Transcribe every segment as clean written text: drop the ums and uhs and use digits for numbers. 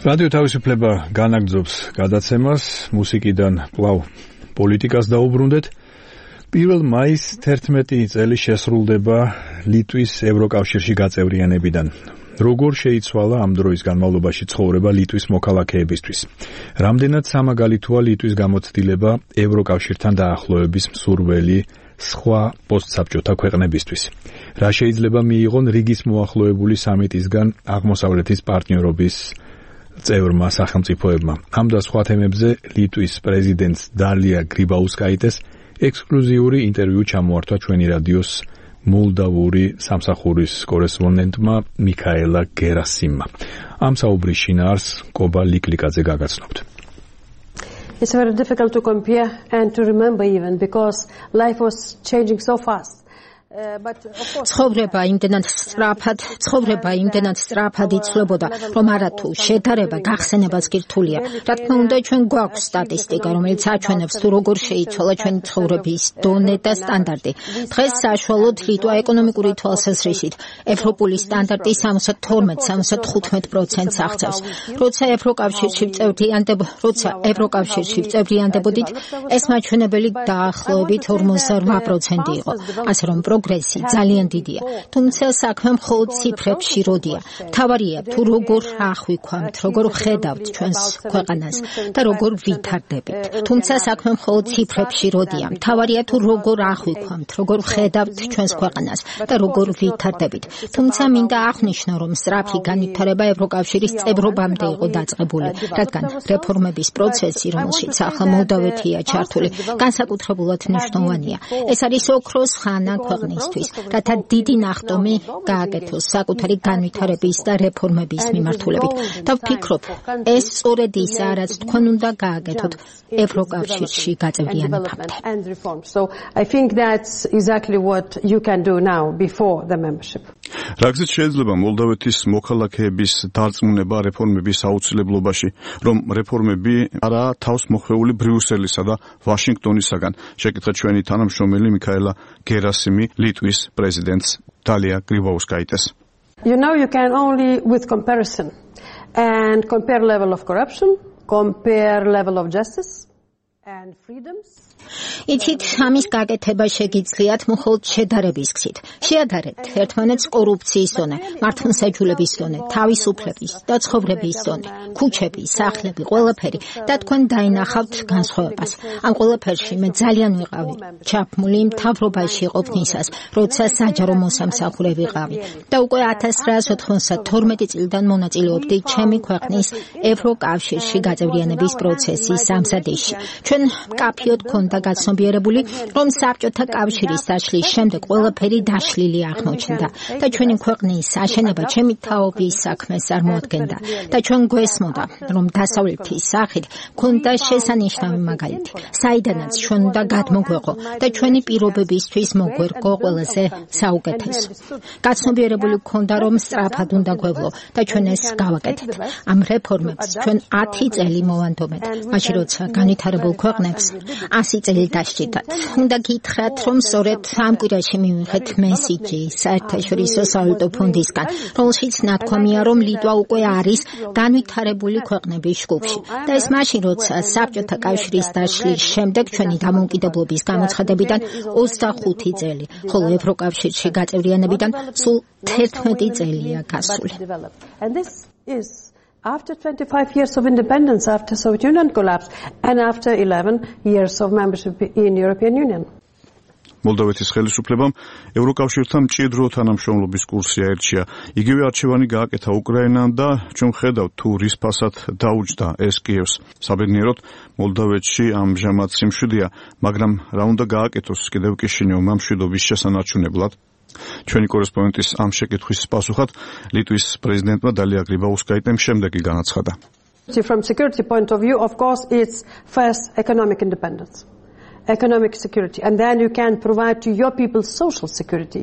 რადიო თავისუფლება განაგრძობს გადაცემას, მუსიკიდან კვლავ პოლიტიკას დაუბრუნდეთ. 1 მაისს 11 წელი შესრულდება ლიტვის ევროკავშირში გაწევრიანებიდან. როგორ შეიცვალა ამ დროის განმავლობაში ცხოვრება ლიტვის მოქალაქეებისთვის? რამდენად სამაგალითოა ლიტვის გამოცდილება ევროკავშირთან დაახლოების მსურველი სხვა პოსტსაბჭოთა ქვეყნებისთვის? რა შეიძლება მიიღონ რიგის მოახლოებული სამიტისგან აღმოსავლეთის პარტნიორობის წევრმა სახელმწიფოებმა? ამ და სხვა თემებზე ლიტვის პრეზიდენტს დალია გრიბაუსკაიტეს ექსკლუზიური ინტერვიუ ჩამოართვა ჩვენი რადიოს მოლდავური სამსახურის კორესპონდენტმა მიქაელა გერასიმმა. ამ საუბრის შინაარსს კობა ლიკლიკაძე გაგაცნობთ. It's very difficult to compare and to remember even because life was changing so fast. ცხოვრება იმდენად სწრაფად იცვლებოდა, რომ არათუ შედარება გახსენებაც კი რთულია. რა თქმა უნდა, ჩვენ გვაქვს სტატისტიკა, რომელიც აჩვენებს თუ როგორ შეიცვალა ჩვენი ცხოვრების დონე და სტანდარტი. დღეს საშუალოდ ლიტვა ეკონომიკური თვალსაზრისით ევროპული სტანდარტი 72-75%-ს აღწევს. როცა ევროკავშირში წევრიანდებოდით, ეს მაჩვენებელი დაახლოებით 48% იყო. ასე რომ პროგრესი ძალიან დიდია, თუმცა საქმე მხოლოდ ციფრებში როდია. მთავარია თუ როგორ აღვიქვამთ, როგორ ხედავთ ჩვენს ქვეყანას და როგორ ვითარდებით. თუმცა საქმე მხოლოდ ციფრებში როდია. მთავარია თუ როგორ აღვიქვამთ, როგორ ხედავთ ჩვენს ქვეყანას და როგორ ვითარდებით. თუმცა მინდა აღნიშნო, რომ სწრაფი განვითარება ევროკავშირის წევრობამდე იყო დაწყებული, რადგან რეფორმების პროცესი, რომელშიც ახლა მოლდავეთია ჩართული, განსაკუთრებულად მნიშვნელოვანია. ეს არის ოქროს ხანა ქვეყნისთვის, რათა დიდი ნახტომი გააკეთოს საკუთარი განვითარების და რეფორმების მიმართულებით. და ვფიქრობ, ეს სწორედ ისაა, რაც თქვენ უნდა გააკეთოთ ევროკავშირში გაწევრიანებამდე. რაგზით შეიძლება მოლდავეთის მოქალაქეების დარწმუნება რეფორმების აუცილებლობაში, რომ რეფორმები არაა თავს მოხვეული ბრიუსელისა და ვაშინგტონისაგან? შეკითხა ჩვენი თანამშრომელი მიქაელა გერასიმი ლიტვის პრეზიდენტს დალია გრიბაუსკაიტეს. You can only with comparison and compare level of corruption, compare level of justice and freedoms. იცით, ამის გაკეთება შეგიძლიათ მხოლოდ შედარების გზით. შეადარეთ ერთმანეთს კორუფციის დონე, მართლმსაჯულების დონე, თავისუფლების და ცხოვრების დონე, ქუჩები, სახლები, ყველაფერი და თქვენ დაინახავთ განსხვავებას. ამ ყველაფერში მე ძალიან ვიყავი ჩაფმული მთავრობაში ყოფნისას, როცა საჯარო მოსამსახურე ვიყავი და უკვე 1992 წლიდან მონაწილეობდი ჩემი ქვეყნის ევროკავშირში გაწევრიანების პროცესის ამზადებაში. ჩვენ მკაფიოდ გქონდა გაცნობიერებული, რომ საბჭოთა კავშირის დაშლის შემდეგ ყველაფერი დაშლილი აღმოჩნდა და ჩვენი ქვეყნის აშენება ჩემი თაობის საქმეს წარმოადგენდა და ჩვენ გვესმოდა, რომ დასავლეთის სახით გქონდა შესანიშნავი მაგალითი, საიდანაც ჩვენ უნდა გადმოგვეყო და ჩვენი პირობებისთვის მოგვერგო ყველაზე საუკეთესო. გაცნობიერებული გქონდა, რომ სწრაფად უნდა გვევლო და ჩვენ ეს გავაკეთეთ. ამ რეფორმებს ჩვენ 10 წელი მოვანდომეთ, მაშინ როცა განვითარებულ ქვეყნებს 100 წელი დასჭირდათ. უნდა გითხრათ, რომ სწორედ ამ კვირაში მივიღეთ მესიჯი საერთაშორისო სავალუტო ფონდისგან, რომელშიც ნათქვამია, რომ ლიტვა უკვე არის განვითარებული ქვეყნების ჯგუფში. და ეს მაშინ, როცა საბჭოთა კავშირის დაშლის შემდეგ ჩვენი დამოუკიდებლობის გამოცხადებიდან 25 წელი, ხოლო ევროკავშირში გაწევრიანებიდან სულ 11 წელია გასული. After 25 years of independence, after Soviet Union collapse, and after 11 years of membership in European Union. მოლდავეთის ხელისუფლებამ ევროკავშირთან მჭიდრო თანამშრომლობის კურსი აერჩია. იგივე არჩევანი გააკეთა უკრაინამ და ჩვენ ხედავთ თუ რის ფასად დაუჯდა ეს კიევს. საბედნიეროდ მოლდავეთში ამჟამად სიმშვიდეა, მაგრამ რა უნდა გააკეთოს კიდევ კიშინიოვმა მშვიდობის შესანარჩუნებლად? ჩვენი კორესპონდენტის ამ შეკითხვის პასუხად ლიტვის პრეზიდენტმა დალია გრიბაუსკაიტემ შემდეგი განაცხადა. From security point of view, of course, it's first economic independence, economic security, and then you can provide to your people social security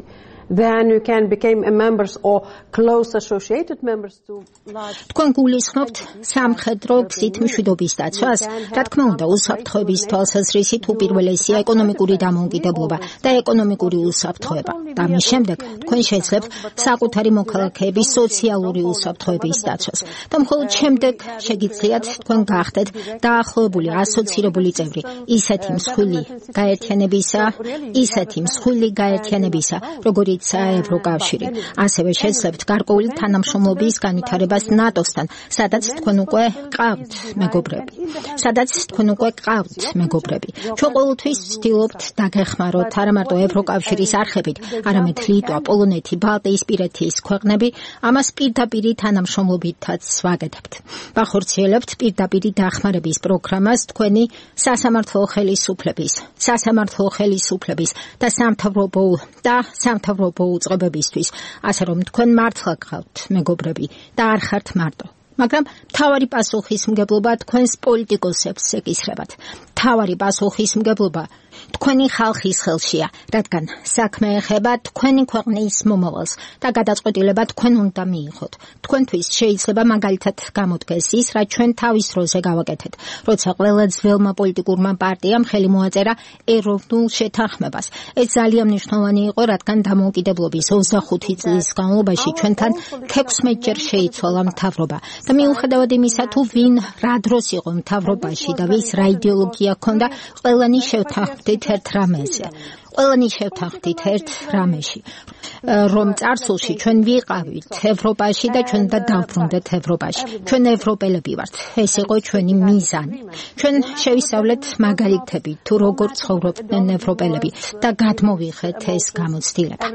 then you can become a members or close associated members to large. თქვენ გულისხმობთ სამხედრო გზით მშვიდობის დაცვას? რა თქმა უნდა, უსაფრთხოების თვალსაზრისით უპირველესია ეკონომიკური დამოუკიდებლობა და ეკონომიკური უსაფრთხოება. და მის შემდეგ თქვენ შეძლებთ საკუთარი მოქალაქეების სოციალური უსაფრთხოების დაცვას. და მხოლოდ შემდეგ შეგიძლიათ თქვენ გახდეთ დაახლოებული ასოცირებული წევრი ისეთი მსხვილი გაერთიანებისა, როგორიცაა ევროკავშირი. ასევე შეძლებთ გარკვეული თანამშრომლობის განვითარებას ნატოსთან, სადაც თქვენ უკვე ყავთ მეგობრები. ჩვენ ყოველთვის ვცდილობთ დაგეხმაროთ არა მარტო ევროკავშირის არხებით, არამედ ლიტვა, პოლონეთი, ბალტიისპირეთის ქვეყნები, ამას პირდაპირი თანამშრომლობითაც ვაკეთებთ. ვახორციელებთ პირდაპირი დახმარების პროგრამას თქვენი სასამართლო ხელისუფლების და სამთავრობო უწყებებისთვის, ასე რომ თქვენ მართლა გყავთ მეგობრები და არ ხართ მარტო. მაგრამ მთავარი პასუხისმგებლობა თქვენს პოლიტიკოსებს ეკისრებათ. მთავარი პასუხისმგებლობა თქვენი ხალხის ხელშია, რადგან საქმე ეხება თქვენი ქვეყნის მომავალს და გადაწყვეტილება თქვენ უნდა მიიღოთ. თქვენთვის შეიძლება მაგალითად გამოდგეს ის, რაც ჩვენ თავის დროზე გავაკეთეთ, როცა ყველა ძველმა პოლიტიკურმა პარტიამ ხელი მოაწერა ეროვნულ შეთანხმებას. ეს ძალიან მნიშვნელოვანი იყო, რადგან დამოუკიდებლობის 25 წლის განმავლობაში ჩვენთან 16 ჯერ შეიცვალა მთავრობა. და მიუხედავად იმისა, თუ ვინ რა დროს იყო მთავრობაში და ვის რა იდეოლოგია ჰქონდა, ყველანი შევთანხმდით ერთ რამეში, რომ წარსულში ჩვენ ვიყავით ევროპაში და ჩვენ და დავბრუნდეთ ევროპაში. ჩვენ ევროპელები ვართ. ეს იყო ჩვენი მიზანი. ჩვენ შევისწავლეთ მაგალითები თუ როგორ ცხოვრობდნენ ევროპელები და გადმოვიღეთ ეს გამოცდილება.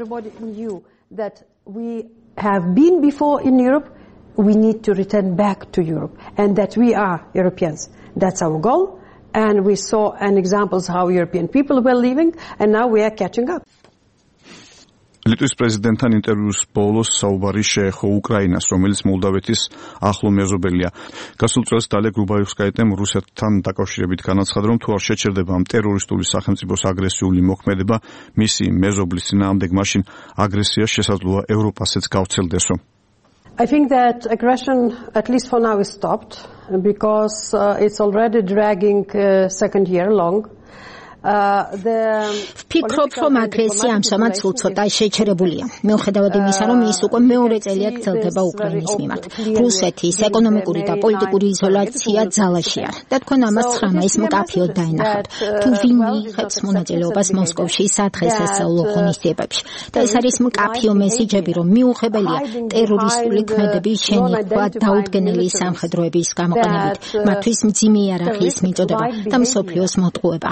We need to return back to Europe and that we are Europeans. That's our goal. And we saw an examples how European people were living and now we are catching up. ლიტვის პრეზიდენტთან ინტერვიუს ბოლოს საუბარი შეეხო უკრაინას, რომელიც მოლდავეთის ახლო მეზობელია. გასულ წელს დალია გრუბაევსკაიამ რუსეთთან დაკავშირებით განაცხადა, რომ თუ არ შეჩერდება ამ ტერორისტული სახელმწიფოს აგრესიული მოქმედება მისი მეზობლის წინააღმდეგ, მაშინ აგრესია შესაძლოა ევროპასაც გავრცელდესო. I think that aggression, at least for now, is stopped because it's already dragging second year long. ვფიქრობ, რომ აგრესია ამჟამად სულ ცოტა შეჩერებულია. მიუხედავად იმისა, რომ ის უკვე მეორე წელია გრძელდება უკრაინის მიმართ. რუსეთის ეკონომიკური და პოლიტიკური იზოლაცია ძალაშია და თქვენ ამას 9 მაისს მკაფიოდ დაენახავთ. თუ ვინ მიიღებს მონაწილეობას მოსკოვში სადღესასწაულო ღონისძიებებში. და ეს არის მკაფიო მესიჯები, რომ მიუღებელია ტერორისტული ქმედების შენიღვა დაუდგენელი სამხედროების გამოყენებით, მათთვის მძიმე იარაღის მიწოდება და მსოფლიოს მოტყუება.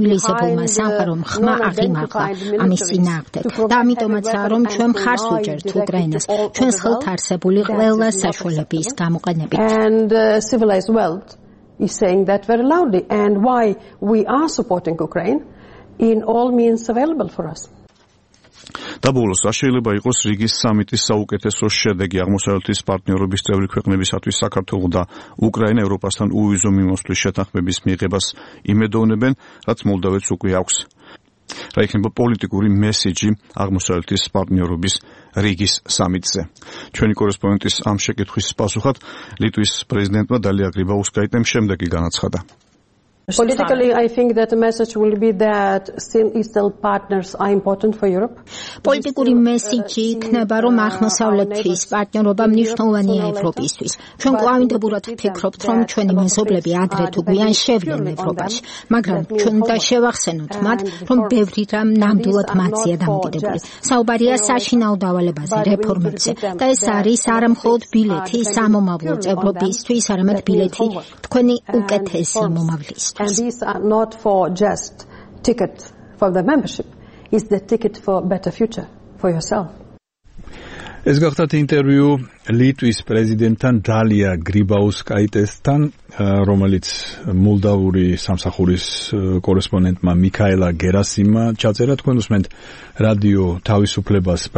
ცივილიზებულმა სამყარომ ხმა აღიმაღლა ამის წინააღმდეგ და ამიტომაცაა, რომ ჩვენ მხარს ვუჭერთ უკრაინას ჩვენს ხელთ არსებული ყველა საშუალების გამოყენებით. And civilized world is saying that very loudly and why we are supporting Ukraine in all means available for us. და ბოლოს, რა შეიძლება იყოს რიგის სამიტის საუკეთესო შედეგი აღმოსავლეთის პარტნიორობის წევრი ქვეყნებისათვის? საქართველო და უკრაინა ევროპასთან უვიზო მიმოსვლის შეთანხმების მიღებას იმედოვნებენ, რაც მოლდავეთს უკვე აქვს. რა იქნება პოლიტიკური მესიჯი აღმოსავლეთის პარტნიორობის რიგის სამიტზე? ჩვენი კორესპონდენტის ამ შეკითხვის პასუხად ლიტვის პრეზიდენტმა დალია გრიბაევსკაიამ შემდეგი განაცხადა. Politically, I think that the message will be that still Eastern partners are important for Europe. პოლიტიკური მესიჯი იქნება, რომ აღმოსავლეთის პარტნიორობა მნიშვნელოვანია ევროპისთვის. ჩვენ კვლავინდებურად ვფიქრობთ, რომ ჩვენი მეზობლები ადრე თუ გვიან შევლენ ევროპაში, მაგრამ ჩვენ უნდა შევახსენოთ მათ, რომ ბევრი რამ ნამდვილად მათზეა დამოკიდებული. საუბარია საშინაო დავალებაზე, რეფორმებზე და ეს არის არა მხოლოდ ბილეთი სამომავლო წევრობისთვის, არამედ ბილეთი თქვენი უკეთესი მომავლისთვის. And these are not for just ticket for the membership. It's the ticket for better future for yourself. ეს გახდათ ინტერვიუ ლიტვის პრეზიდენტთან დალია გრიბაევსკაიესთან, რომელიც მოლდავური სამსახურის კორესპონდენტმა მიქაელა გერასიმმა ჩაწერა. თქვენ უსმენთ რადიო თავისუფლებას